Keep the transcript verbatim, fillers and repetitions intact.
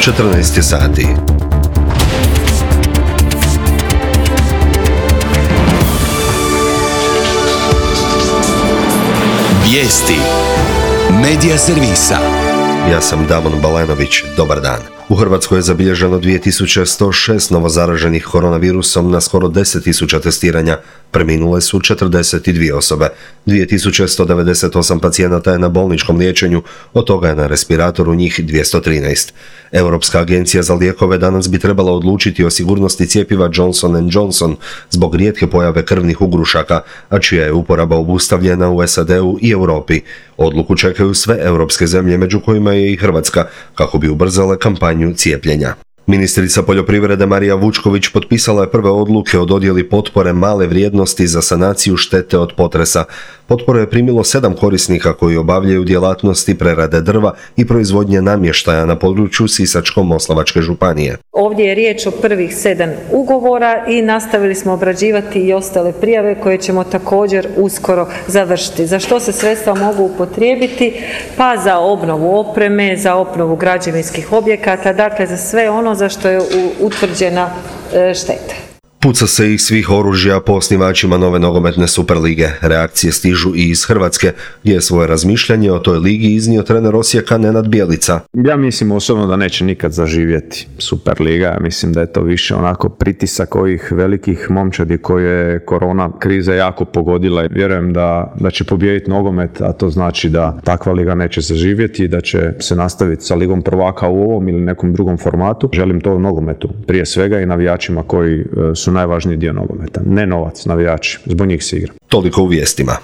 četrnaest je sati. Vijesti Medija servisa. Ja sam Damon Balenović, dobar dan. U Hrvatskoj je zabilježeno dvije tisuće sto šest novozaraženih koronavirusom na skoro deset tisuća testiranja. Preminule su četrdeset dvije osobe. dvije tisuće sto devedeset osam pacijenata je na bolničkom liječenju, od toga je na respiratoru njih dvjesto trinaest. Europska agencija za lijekove danas bi trebala odlučiti o sigurnosti cjepiva Johnson and Johnson zbog rijetke pojave krvnih ugrušaka, a čija je uporaba obustavljena u S A D-u i Europi. Odluku čekaju sve europske zemlje, među kojima je i Hrvatska, kako bi ubrzale kampanju cijepljenja. Ministrica poljoprivrede Marija Vučković potpisala je prve odluke o dodjeli potpore male vrijednosti za sanaciju štete od potresa. Potporu je primilo sedam korisnika koji obavljaju djelatnosti prerade drva i proizvodnje namještaja na području Sisačko-moslavačke županije. Ovdje je riječ o prvih sedam ugovora i nastavili smo obrađivati i ostale prijave koje ćemo također uskoro završiti. Za što se sredstva mogu upotrijebiti? Pa za obnovu opreme, za obnovu građevinskih objekata, dakle za sve ono za što je utvrđena šteta. Puca se iz svih oružja po osnivačima nove nogometne Superlige. Reakcije stižu i iz Hrvatske, gdje je svoje razmišljanje o toj ligi iznio trener Osijeka Nenad Bjelica. Ja mislim osobno da neće nikad zaživjeti Superliga. Ja mislim da je to više onako pritisak ovih velikih momčadi koje je korona kriza jako pogodila. Vjerujem da, da će pobijediti nogomet, a to znači da takva liga neće zaživjeti i da će se nastaviti sa ligom prvaka u ovom ili nekom drugom formatu. Želim to u nogometu, prije svega i navijačima koji su najvažniji dio nogometa. Ne novac, navijači. Zbog njih se igra. Toliko u vijestima.